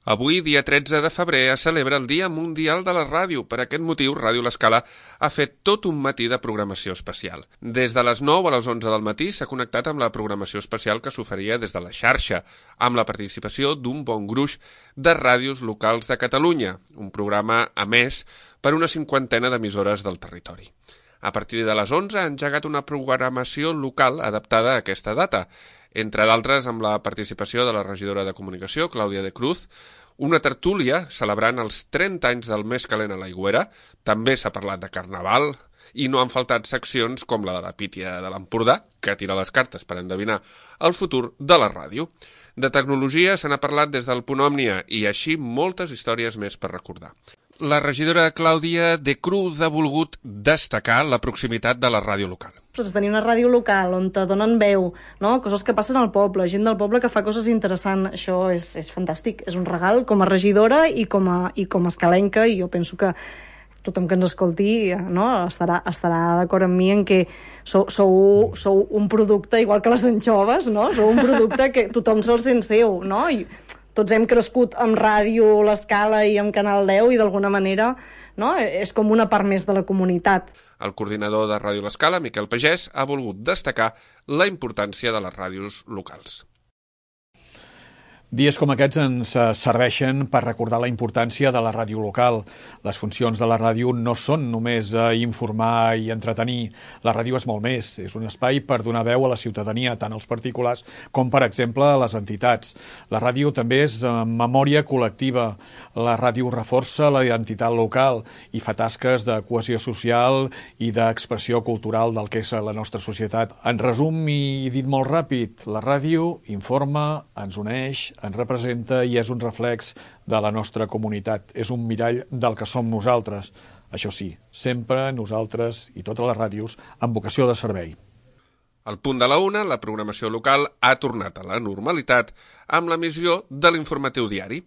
Avui, dia 13 de febrer, es celebra el Dia Mundial de la Ràdio. Per aquest motiu, Ràdio L'Escala ha fet tot un matí de programació especial. Des de les 9 a les 11 del matí s'ha connectat amb la programació especial que s'oferia des de la xarxa, amb la participació d'un bon gruix de ràdios locals de Catalunya, un programa emès per una 50ena d'emissores del territori. A partir de les 11 ha engegat una programació local adaptada a aquesta data, entre d'altres amb la participació de la regidora de Comunicació, Clàudia de Cruz, una tertúlia celebrant els 30 anys del Més Calent a l'Aigüera, també s'ha parlat de Carnaval, i no han faltat seccions com la de la Pítia de l'Empordà, que tira les cartes per endevinar el futur de la ràdio. De tecnologia se n'ha parlat des del Punt Òmnia i així moltes històries més per recordar. La regidora Clàudia de Cruz ha volgut destacar la proximitat de la ràdio local. Tenir una ràdio local on te donen veu, no? Coses que passen al poble, gent del poble que fa coses interessants, això és fantàstic, és un regal com a regidora i com a escalenca, i jo penso que tothom que ens escolti, no, estarà d'acord amb mi en que sou un producte igual que les anxoves, no? Sou un producte que tothom se'l sent seu, no? I tots hem crescut amb Ràdio L'Escala i amb Canal 10 i d'alguna manera, no, és com una part més de la comunitat. El coordinador de Ràdio L'Escala, Miquel Pagès, ha volgut destacar la importància de les ràdios locals. Dies com aquests ens serveixen per recordar la importància de la ràdio local. Les funcions de la ràdio no són només informar i entretenir. La ràdio és molt més. És un espai per donar veu a la ciutadania, tant als particulars com, per exemple, a les entitats. La ràdio també és memòria col·lectiva. La ràdio reforça la identitat local i fa tasques de cohesió social i d'expressió cultural del que és la nostra societat. En resum i dit molt ràpid, la ràdio informa, ens uneix, ens representa i és un reflex de la nostra comunitat. És un mirall del que som nosaltres. Això sí, sempre nosaltres i totes les ràdios amb vocació de servei. Al punt de la 1, la programació local ha tornat a la normalitat amb l'emissió de l'informatiu diari.